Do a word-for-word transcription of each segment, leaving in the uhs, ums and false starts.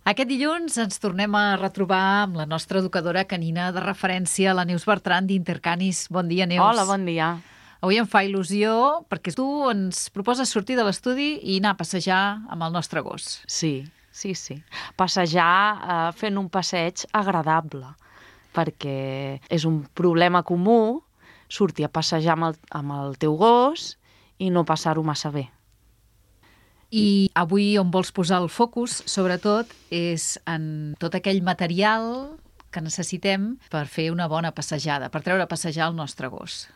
Aquest dilluns ens tornem a retrobar amb la nostra educadora canina de referència, la Neus Bertran d'Intercanis. Bon dia, Neus. Hola, bon dia. Avui em fa il·lusió perquè tu ens proposes sortir de l'estudi i anar a passejar amb el nostre gos. Sí, sí, sí. Passejar eh, fent un passeig agradable, perquè és un problema comú sortir a passejar amb el, amb el teu gos i no passar-ho massa bé. I avui on vols posar el focus, sobretot, és en tot aquell material que necessitem per fer una bona passejada, per treure a passejar el nostre gos.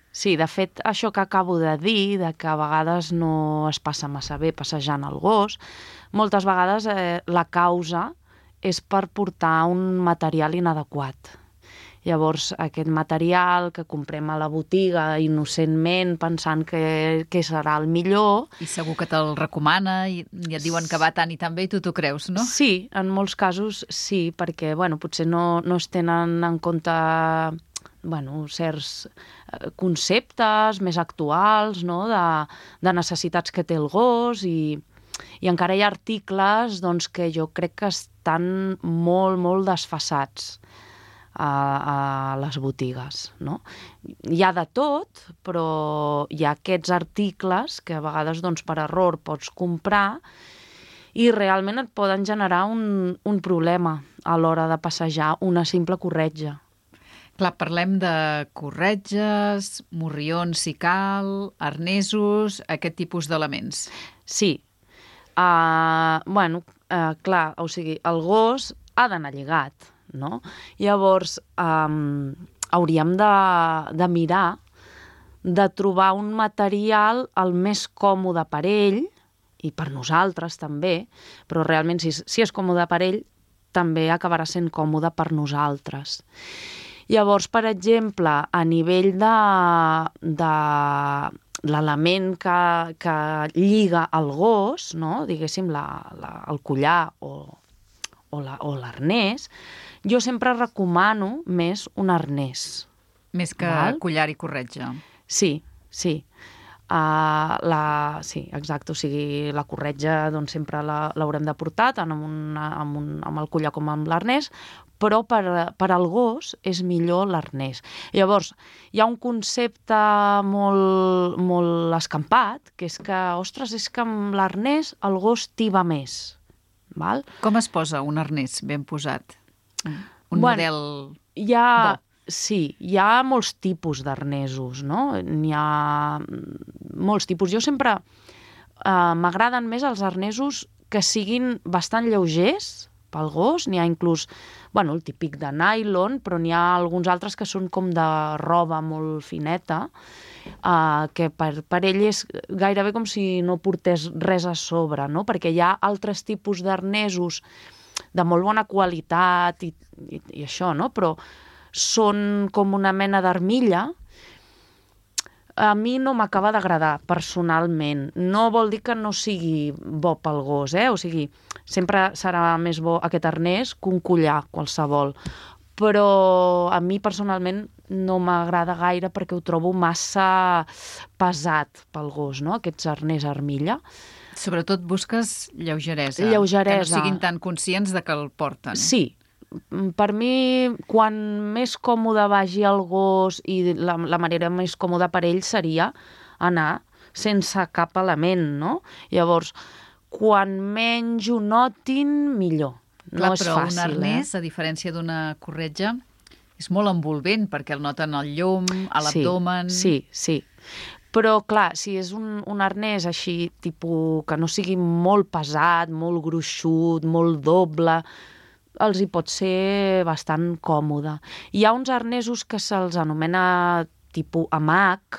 Sí, de fet, això que acabo de dir, de que a vegades no es passa massa bé passejant el gos, moltes vegades eh, la causa és per portar un material inadequat. Llavors, aquest material que comprem a la botiga innocentment pensant que, que serà el millor... I segur que te'l recomana i, i et diuen que va tant i tan bé i tu t'ho creus, no? Sí, en molts casos sí, perquè bueno, potser no, no es tenen en compte bueno, certs conceptes més actuals, no? de, de necessitats que té el gos i, i encara hi ha articles doncs, que jo crec que estan molt, molt desfasats a, a les botigues, no? Hi ha de tot, però hi ha aquests articles que a vegades doncs, per error pots comprar i realment et poden generar un, un problema a l'hora de passejar una simple corretja. Clar, parlem de corretges, morrions si cal, arnesos, aquest tipus d'elements. Sí. Uh, bueno, uh, clar, o sigui, el gos ha d'anar lligat, no? Llavors, um, hauríem de, de mirar de trobar un material el més còmode per ell, i per nosaltres també, però realment si, si és còmode per ell, també acabarà sent còmode per nosaltres. Llavors, per exemple, a nivell de, de l'element que, que lliga el gos, no? Diguéssim, la, la, el collar o, o, la, o l'arnès, jo sempre recomano més un arnès. Més que Val? Collar i corretja. Sí, sí. Uh, la, sí, exacte, o sigui, la corretja doncs, sempre l'haurem de portar tant amb, una, amb, un, amb el collar com amb l'arnès, però per, per al gos és millor l'arnès. Llavors, hi ha un concepte molt, molt escampat, que és que, ostres, és que amb l'arnès el gos tiba més. Val? Com es posa un arnès ben posat? Un bueno, model hi ha, bo? Sí, hi ha molts tipus d'arnesos, no? N'hi ha molts tipus. Jo sempre eh, m'agraden més els arnesos que siguin bastant lleugers pel gos. N'hi ha inclús, bueno, el típic de nylon, però n'hi ha alguns altres que són com de roba molt fineta, eh, que per, per ell és gairebé com si no portés res a sobre, no? Perquè hi ha altres tipus d'arnesos de molt bona qualitat i, i, i això, no? Però són com una mena d'armilla. A mi no m'acaba d'agradar, personalment. No vol dir que no sigui bo pel gos, eh? O sigui, sempre serà més bo aquest arnès que un collar qualsevol. Però a mi, personalment, no m'agrada gaire perquè ho trobo massa pesat pel gos, no? Aquests arnès armilla. Sobretot busques lleugeresa. Lleugeresa. Que no siguin tan conscients de que el porten. Sí. Per mi, quan més còmode vagi el gos i la, la manera més còmoda per ell seria anar sense cap element, no? Llavors, quan menys ho notin, millor. No Clar, és però fàcil, un arnès, eh? a diferència d'una corretja, és molt envolvent perquè el noten al llum, a l'abdomen... Sí, sí, sí. Però, clar, si és un, un arnès així, tipus, que no sigui molt pesat, molt gruixut, molt doble, els hi pot ser bastant còmode. Hi ha uns arnesos que se'ls anomena tipus hamac,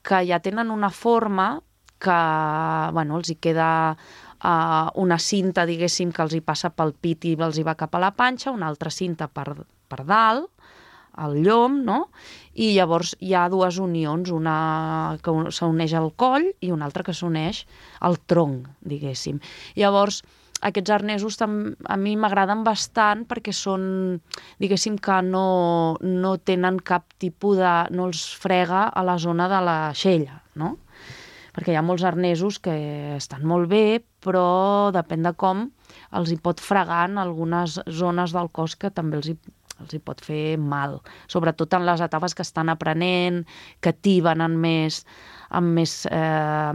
que ja tenen una forma que, bueno, els hi queda uh, una cinta, diguéssim, que els hi passa pel pit i els hi va cap a la panxa, una altra cinta per, per dalt, al llom, no? I llavors hi ha dues unions, una que s'uneix al coll i una altra que s'uneix al tronc, diguéssim. Llavors, aquests arnesos a mi m'agraden bastant perquè són, diguéssim, que no, no tenen cap tipus de... no els frega a la zona de la xella, no? perquè hi ha molts arnesos que estan molt bé, però depèn de com els hi pot fregar en algunes zones del cos que també els hi, els hi pot fer mal, sobretot en les etapes que estan aprenent, que tiben en més, amb més eh,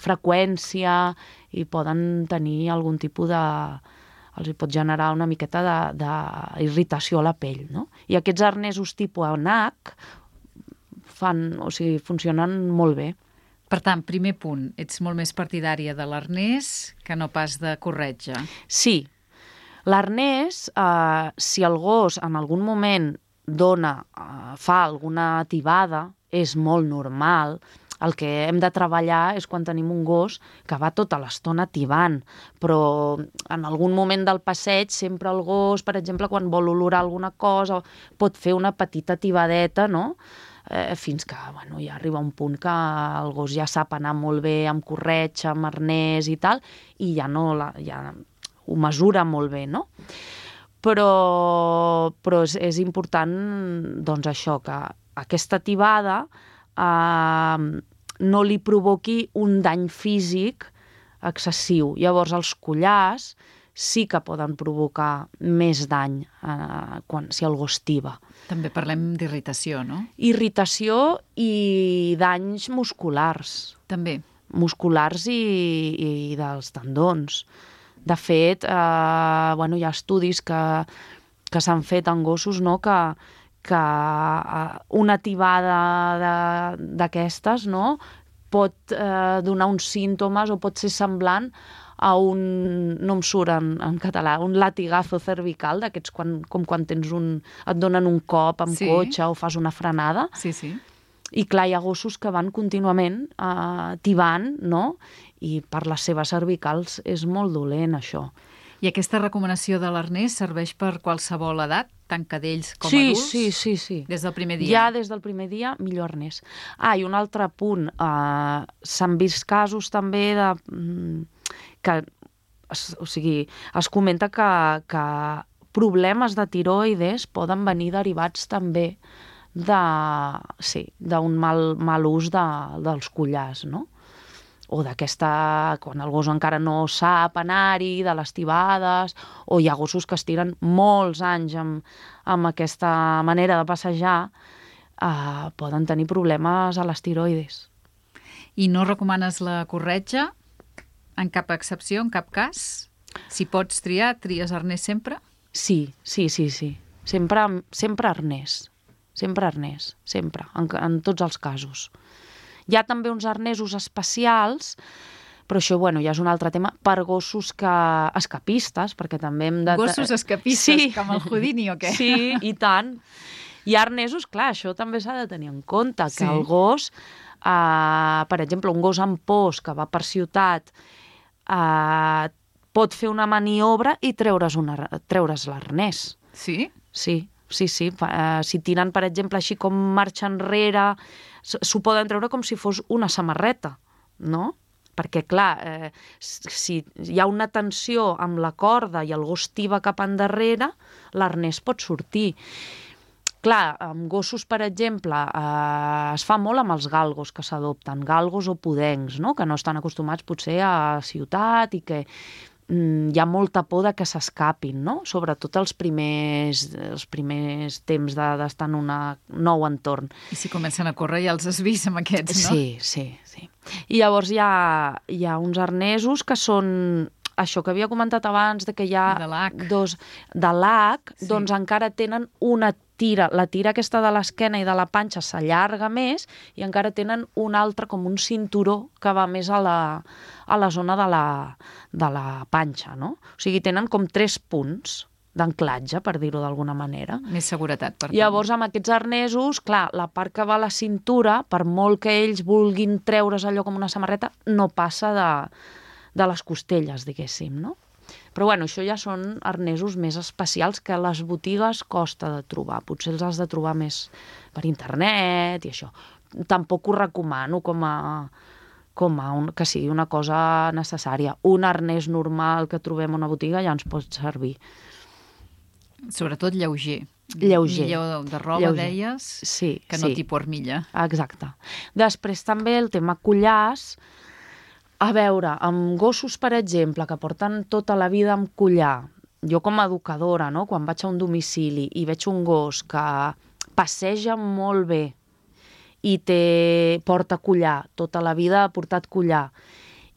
freqüència i poden tenir algun tipus de... els hi pot generar una miqueta d'irritació a la pell, no? I aquests arnesos tipus A N A C fan, o sigui, funcionen molt bé. Per tant, primer punt, ets molt més partidària de l'arnès que no pas de corretja. Sí. L'arnès, eh, si el gos en algun moment dona, eh, fa alguna tibada, és molt normal. El que hem de treballar és quan tenim un gos que va tota l'estona tibant, però en algun moment del passeig sempre el gos, per exemple, quan vol olorar alguna cosa, pot fer una petita tibadeta, no?, eh, fins que bueno, ja arriba un punt que el gos ja sap anar molt bé amb corretja, amb arnès i tal, i ja, no la, ja ho mesura molt bé, no? Però, però és, és important doncs, això, que aquesta tibada eh, no li provoqui un dany físic excessiu. Llavors, els collars sí que poden provocar més dany eh, quan, si el gos tiba. També parlem d'irritació, no? Irritació i danys musculars. També. Musculars i, i dels tendons. De fet, eh, bueno, hi ha estudis que, que s'han fet en gossos, no?, que, que una tibada d'aquestes, no?, pot eh, donar uns símptomes o pot ser semblant a un, no em surt en, en català, un latigazo cervical, d'aquests quan, com quan tens un, et donen un cop amb sí. cotxe o fas una frenada. Sí, sí. I clar, hi ha gossos que van contínuament eh, tibant, no?, i per les seves cervicals és molt dolent, això. I aquesta recomanació de l'arnès serveix per qualsevol edat, tant cadells com sí, adults? Sí, sí, sí. Des del primer dia? Ja des del primer dia, millor arnès. Ah, i un altre punt. Uh, s'han vist casos també de... que, o sigui, es comenta que, que problemes de tiroides poden venir derivats també de, sí, d'un mal, mal ús de, dels collars, no? O d'aquesta, quan el gos encara no sap anar-hi, de les tibades, o hi ha gossos que es tiren molts anys amb, amb aquesta manera de passejar, eh, poden tenir problemes a les tiroides. I no recomanes la corretja? En cap excepció, en cap cas? Si pots triar, tries arnès sempre? Sí, sí, sí, sí. Sempre, sempre arnès. Sempre arnès, sempre, en, en tots els casos. Hi ha també uns arnesos especials, però això, bueno, ja és un altre tema, per gossos que... escapistes, perquè també hem de... Gossos escapistes, sí. Com el Houdini o què? Sí, i tant. Hi ha arnesos, clar, això també s'ha de tenir en compte, que sí. el gos, eh, per exemple, un gos amb pors que va per ciutat, eh, pot fer una maniobra i treure's, una, treure's l'arnès. Sí? Sí. Sí, sí. Uh, si tiren, per exemple, així com marxa enrere, s'ho poden treure com si fos una samarreta, no? Perquè, clar, eh, si hi ha una tensió amb la corda i el gos tiba cap endarrere, l'arnès pot sortir. Clar, amb gossos, per exemple, eh, es fa molt amb els galgos que s'adopten, galgos o podencs, no?, que no estan acostumats potser a ciutat i que hi ha molta por de que s'escapin, no? Sobretot els primers, els primers temps d'estar en un nou entorn. I si comencen a córrer ja els has vist amb aquests, no? Sí, sí, sí. I llavors hi ha, hi ha uns arnesos que són això que havia comentat abans, de que hi ha de l'H. dos de l'H, sí. Doncs encara tenen una tira, la tira aquesta de l'esquena i de la panxa s'allarga més i encara tenen un altre, com un cinturó que va més a la, a la zona de la, de la panxa, no? O sigui, tenen com tres punts d'anclatge, per dir-ho d'alguna manera. Més seguretat, per tant. Llavors, amb aquests arnesos, clar, la part que va a la cintura, per molt que ells vulguin treure's allò com una samarreta, no passa de, de les costelles, diguéssim, no? Però, bueno, això ja són arnesos més especials que a les botigues costa de trobar. Potser els has de trobar més per internet i això. Tampoc ho recomano com a, com a un, que sigui una cosa necessària. Un arnès normal que trobem a una botiga ja ens pot servir. Sobretot lleuger. lleuger. Millor de roba, lleuger. deies, sí, que no sí. tipus armilla. Exacte. Després també el tema collars. A veure, amb gossos, per exemple, que porten tota la vida amb collar, jo com a educadora, no? Quan vaig a un domicili i veig un gos que passeja molt bé i té, porta collar, tota la vida ha portat collar,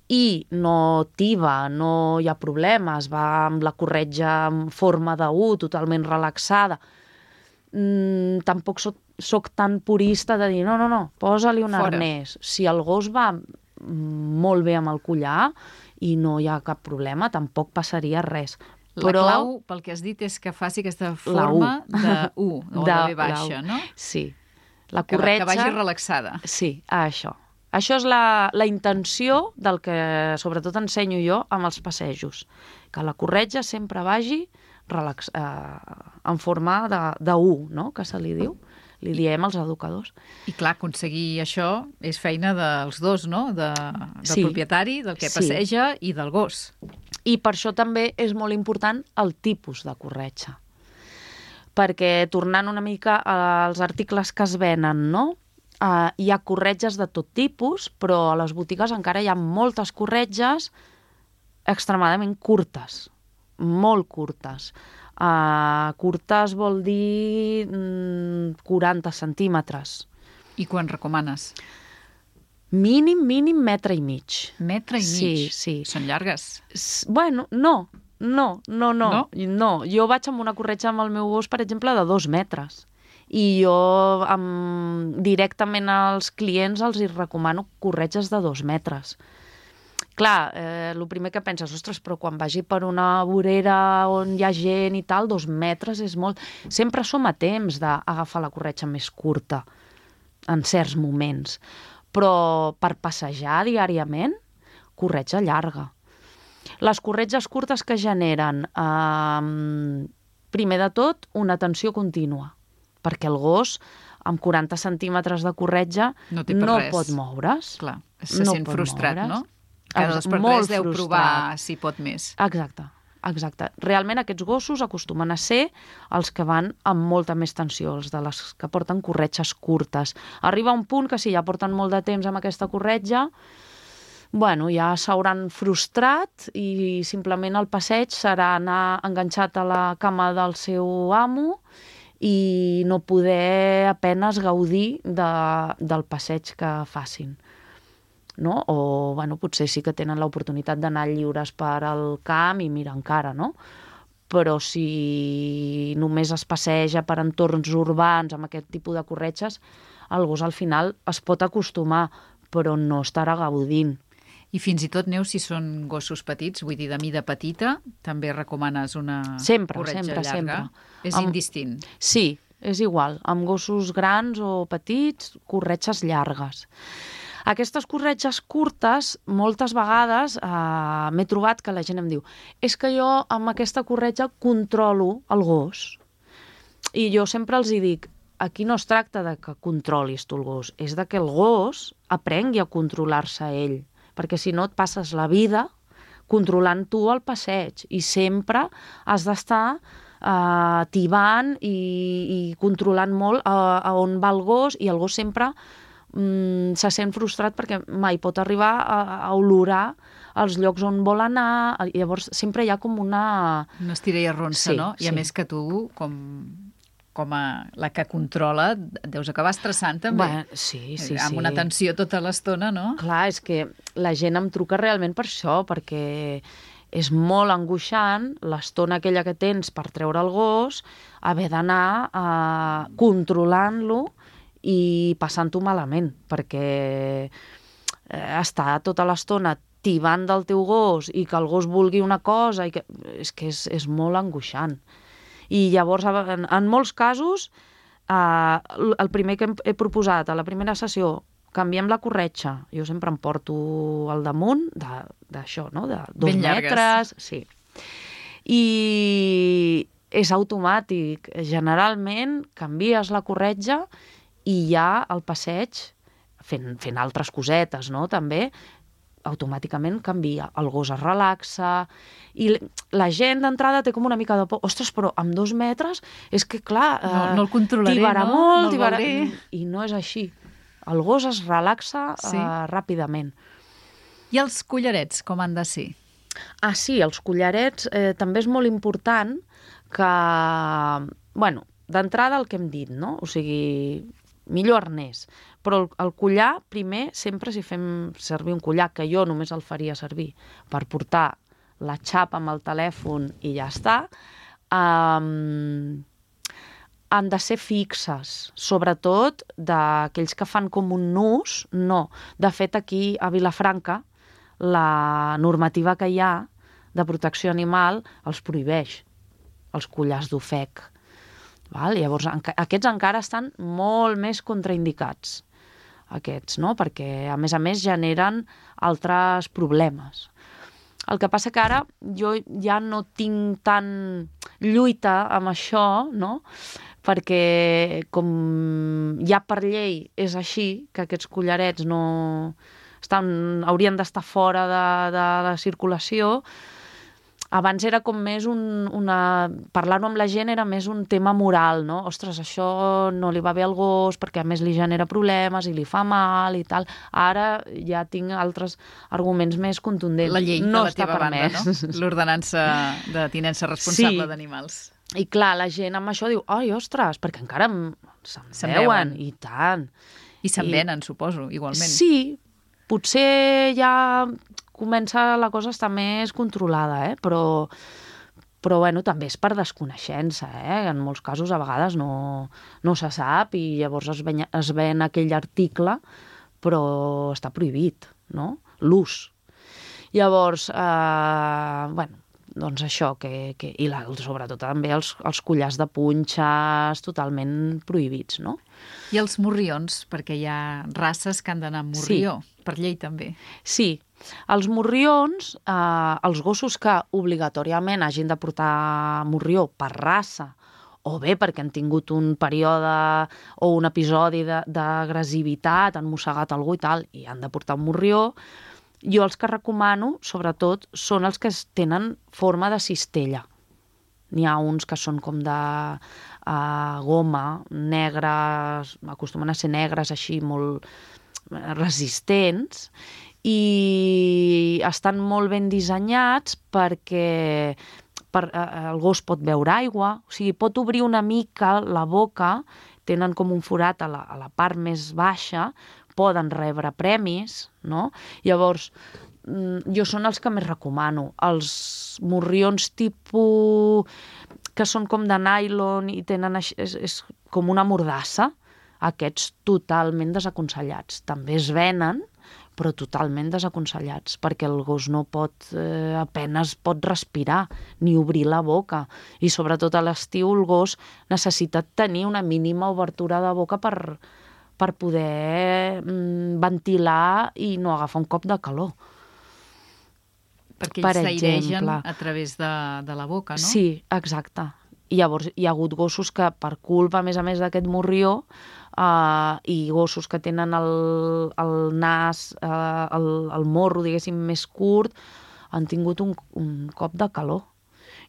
i no tiba, no hi ha problemes, va amb la corretja en forma de U, totalment relaxada, mm, tampoc soc, soc tan purista de dir no, no, no, posa-li un Fora. arnès. Si el gos va molt bé amb el collar i no hi ha cap problema, tampoc passaria res. La Però... clau, pel que has dit, és que faci aquesta forma de U, o de, de B baixa, no? Sí. La Que, corretja... que vagi relaxada. Sí, això. Això és la, la intenció del que sobretot ensenyo jo amb els passejos. Que la corretja sempre vagi relax, eh, en forma de, de U, no? Que se li diu. Li diem als educadors. I clar, aconseguir això és feina dels dos, no? De, del Sí. propietari, del que Sí. passeja i del gos. I per això també és molt important el tipus de corretja. Perquè, tornant una mica als articles que es venen, no? Uh, hi ha corretges de tot tipus, però a les botigues encara hi ha moltes corretges extremadament curtes, molt curtes. Uh, curtes vol dir mm, quaranta centímetres. I quan recomanes? Mínim, mínim metre i mig. Metre i Sí, mig? sí. Són llargues? S- Bueno, no, no, no, no, No? no. Jo vaig amb una corretja amb el meu gos, per exemple, de dos metres. I jo amb, directament als clients els hi recomano corretges de dos metres. Clar, eh, el primer que penses, ostres, però quan vagi per una vorera on hi ha gent i tal, dos metres és molt... Sempre som a temps d'agafar la corretja més curta, en certs moments. Però per passejar diàriament, corretja llarga. Les corretges curtes que generen, eh, primer de tot, una tensió contínua, perquè el gos, amb quaranta centímetres de corretja, No té per no res. pot moure's. Clar, se No sent pot frustrat, moure's. no? Cada dos per Molt tres deu frustrat. provar si pot més. Exacte, exacte. Realment aquests gossos acostumen a ser els que van amb molta més tensió, els de les que porten corretges curtes. Arriba un punt que si ja porten molt de temps amb aquesta corretja, bueno, ja s'hauran frustrat i simplement el passeig serà anar enganxat a la cama del seu amo i no poder apenes gaudir de, del passeig que facin. No? O bueno, potser sí que tenen l'oportunitat d'anar lliures per al camp i mira encara, no? Però si només es passeja per entorns urbans amb aquest tipus de corretges, el gos al final es pot acostumar, però no estarà gaudint. I fins i tot, Neus, si són gossos petits, vull dir, de mida petita, també recomanes una Sempre, corretja sempre, llarga? sempre. És Amb- indistint. Sí, és igual. Amb gossos grans o petits, corretges llargues. Aquestes corretges curtes, moltes vegades eh, m'he trobat que la gent em diu és que jo amb aquesta corretja controlo el gos. I jo sempre els hi dic, aquí no es tracta de que controlis tu el gos, és de que el gos aprengui a controlar-se ell, perquè si no et passes la vida controlant tu el passeig i sempre has d'estar eh, tibant i, i controlant molt a, a on va el gos, i el gos sempre mm, se sent frustrat perquè mai pot arribar a, a olorar els llocs on vol anar. Llavors sempre hi ha com una... No estira i arronsa, Sí, no? I a sí. més que tu, com, com a la que controla, et deus acabar estressant també. Bé, sí, sí, amb sí. una tensió tota l'estona, no? Clar, és que la gent em truca realment per això, perquè és molt angoixant l'estona aquella que tens per treure el gos, haver d'anar eh, controlant-lo i passant-ho malament, perquè eh, estar tota l'estona tibant del teu gos i que el gos vulgui una cosa, i que... és que és, és molt angoixant. I llavors, en, en molts casos, eh, el primer que hem, he proposat a la primera sessió, canviem la corretja. Jo sempre em porto al damunt d'això, no? De dos Ben llargues. metres. Sí. I és automàtic. Generalment canvies la corretja i ja el passeig, fent, fent altres cosetes, no? També automàticament canvia. El gos es relaxa i la gent d'entrada té com una mica de por. Ostres, però amb dos metres és que, clar, no, no el controlaré, tibarà no? molt, No el tibarà... veuré. I no és així. El gos es relaxa Sí. uh, ràpidament. I els collarets, com han de ser? Ah, sí, els collarets eh, també és molt important que, bueno, d'entrada el que hem dit, no? O sigui, millor arnès. Però el, el collar, primer, sempre si fem servir un collar, que jo només el faria servir per portar la xapa amb el telèfon i ja està, um, han de ser fixes, sobretot d'aquells que fan com un nus, no. De fet, aquí a Vilafranca, la normativa que hi ha de protecció animal els prohibeix, els collars d'ofec. Val? Llavors, enca aquests encara estan molt més contraindicats, aquests, no? Perquè, a més a més, generen altres problemes. El que passa que ara jo ja no tinc tant lluita amb això, no? Perquè com ja per llei és així, que aquests collarets no estan, haurien d'estar fora de, de la circulació. Abans era com més un, una... Parlar-ho amb la gent era més un tema moral, no? Ostres, això no li va bé al gos perquè a més li genera problemes i li fa mal i tal. Ara ja tinc altres arguments més contundents. La llei no de la teva banda, no? L'ordenança de tinença responsable Sí. d'animals. I clar, la gent amb això diu, ai, ostres, perquè encara em- se'n Se'n veuen, veuen. i tant. I se'n I- venen, suposo, igualment. Sí, potser ja comença la cosa a estar més controlada, eh? però, però bueno, també és per desconeixença. Eh? En molts casos a vegades no, no se sap i llavors es ven, es ven aquell article, però està prohibit, no? L'ús. Llavors, eh, bueno, doncs això, que, que, i la, sobretot també els, els collars de punxes totalment prohibits, no? I els morrions, perquè hi ha races que han d'anar amb morrió, sí. Per llei també. Sí, els morrions, eh, els gossos que obligatòriament hagin de portar morrió per raça, o bé perquè han tingut un període o un episodi d'agressivitat, han mossegat algú i tal, i han de portar un morrió, jo els que recomano, sobretot, són els que tenen forma de cistella. N'hi ha uns que són com de uh, goma, negres, acostumen a ser negres així molt resistents, i estan molt ben dissenyats perquè per, uh, el gos pot beure aigua, o sigui, pot obrir una mica la boca, tenen com un forat a la, a la part més baixa, poden rebre premis, no? Llavors, jo són els que més recomano. Els morrions tipus que són com de nylon i tenen així, és, és com una mordassa, aquests totalment desaconsellats. També es venen, però totalment desaconsellats, perquè el gos no pot, eh, apenes pot respirar, ni obrir la boca. I sobretot a l'estiu el gos necessita tenir una mínima obertura de boca per, per poder mm, ventilar i no agafar un cop de calor. Perquè ells s'airegen a través de, de la boca, no? Sí, exacte. I llavors hi ha hagut gossos que, per culpa, a més a més d'aquest morrió, Uh, i gossos que tenen el, el nas, uh, el, el morro, diguéssim, més curt, han tingut un, un cop de calor.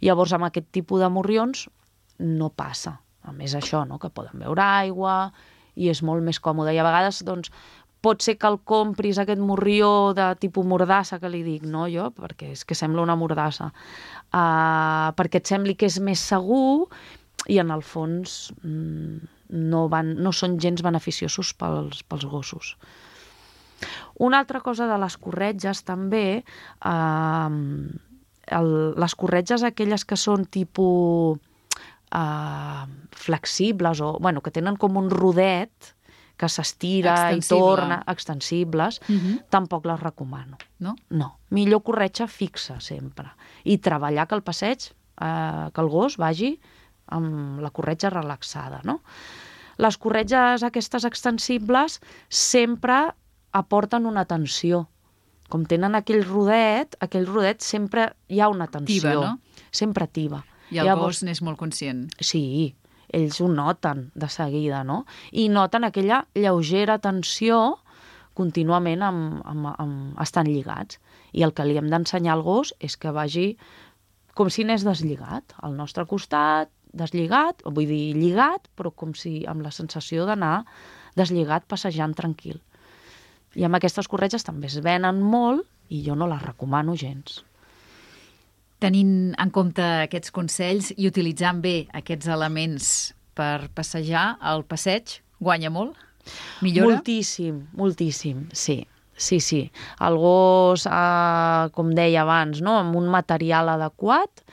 Llavors, amb aquest tipus de morrions no passa. A més, això, no?, que poden beure aigua i és molt més còmode. I a vegades, doncs, pot ser que el compris, aquest morrió de tipus mordassa, que li dic, no, jo, perquè és que sembla una mordassa, uh, perquè et sembli que és més segur i, en el fons, mm, no, van, no són gens beneficiosos pels, pels gossos. Una altra cosa de les corretges també, eh, el, les corretges aquelles que són tipus eh, flexibles o bueno, que tenen com un rodet que s'estira i torna, extensibles, uh-huh. Tampoc les recomano. No? No. Millor corretja fixa sempre. I treballar que el passeig, eh, que el gos vagi amb la corretja relaxada, no? Les corretges aquestes extensibles sempre aporten una tensió. Com tenen aquell rodet, aquell rodet sempre hi ha una tensió. Tiba, no? Sempre tiba. I el Llavors, gos n'és molt conscient. Sí, ells ho noten de seguida, no? I noten aquella lleugera tensió contínuament amb, amb, amb, estan lligats. I el que li hem d'ensenyar al gos és que vagi com si anés deslligat, al nostre costat, deslligat, vull dir lligat, però com si amb la sensació d'anar deslligat, passejant tranquil. I amb aquestes corretges també es venen molt i jo no les recomano gens. Tenint en compte aquests consells i utilitzant bé aquests elements per passejar, el passeig guanya molt? Millora? Moltíssim, moltíssim, sí. Sí, sí. El gos, eh, com deia abans, no? Amb un material adequat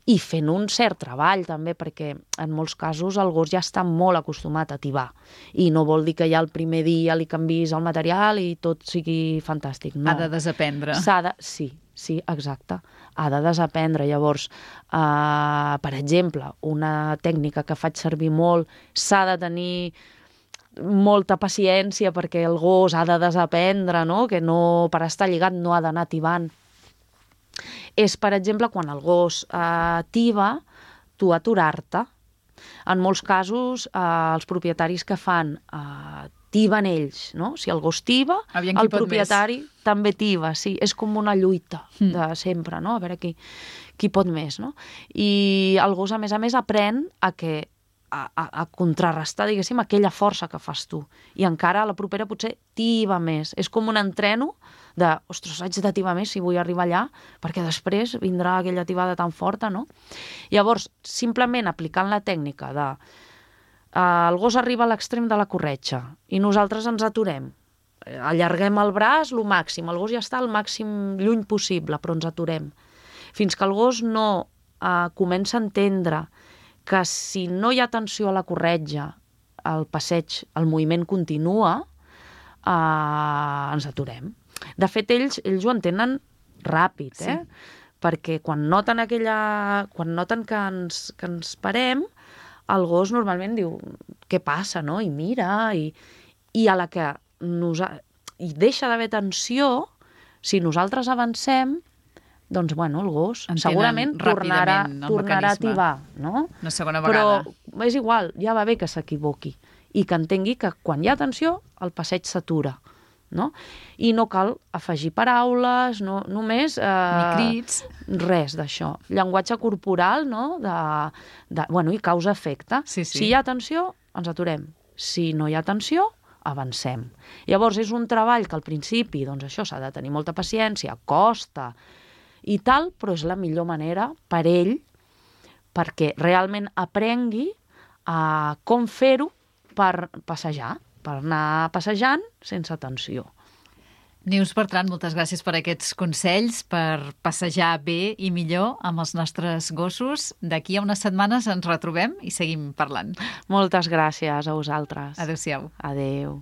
i fent un cert treball també, perquè en molts casos el gos ja està molt acostumat a tibar. I no vol dir que ja el primer dia li canvis el material i tot sigui fantàstic. No. Ha de desaprendre. S'ha de... Sí, sí, exacte. Ha de desaprendre. Llavors, eh, per exemple, una tècnica que faig servir molt, s'ha de tenir molta paciència perquè el gos ha de desaprendre, no? Que no, per estar lligat no ha d'anar tibant. És, per exemple, quan el gos eh, tiba, tu aturar-te. En molts casos, eh, els propietaris que fan eh, tiben ells, no? Si el gos tiba, el propietari més. També tiba, sí. És com una lluita mm. de sempre, no? A veure qui, qui pot més, no? I el gos, a més a més, aprèn a que A, a, a contrarrestar, diguéssim, aquella força que fas tu. I encara a la propera potser tiba més. És com un entreno de, ostres, haig de tibar més si vull arribar allà, perquè després vindrà aquella tibada tan forta, no? Llavors, simplement aplicant la tècnica de eh, el gos arriba a l'extrem de la corretja i nosaltres ens aturem, allarguem el braç lo màxim, el gos ja està al màxim lluny possible, però ens aturem. Fins que el gos no eh, comença a entendre que si no hi ha tensió a la corretja, el passeig, el moviment continua, eh, ens aturem. De fet, ells, ells ho entenen ràpid, eh? Sí. Perquè quan noten aquella... quan noten que ens, que ens parem, el gos normalment diu, què passa, no? I mira, i, i a la que nosa... i deixa d'haver tensió, si nosaltres avancem, doncs, bueno, el gos entenen segurament tornarà, tornarà a tibar, no? Una segona vegada. Però és igual, ja va bé que s'equivoqui i que entengui que quan hi ha tensió, el passeig s'atura, no? I no cal afegir paraules, no, només... Eh, Ni crits. Res d'això. Llenguatge corporal, no? De, de, bueno, i causa-efecte. Sí, sí. Si hi ha tensió, ens aturem. Si no hi ha tensió, avancem. Llavors, és un treball que al principi, doncs això, s'ha de tenir molta paciència, costa, i tal, però és la millor manera per ell perquè realment aprengui a com fer-ho per passejar, per anar passejant sense tensió. Neus Bertran, moltes gràcies per aquests consells, per passejar bé i millor amb els nostres gossos. D'aquí a unes setmanes ens retrobem i seguim parlant. Moltes gràcies a vosaltres. Adéu-siau. Adéu.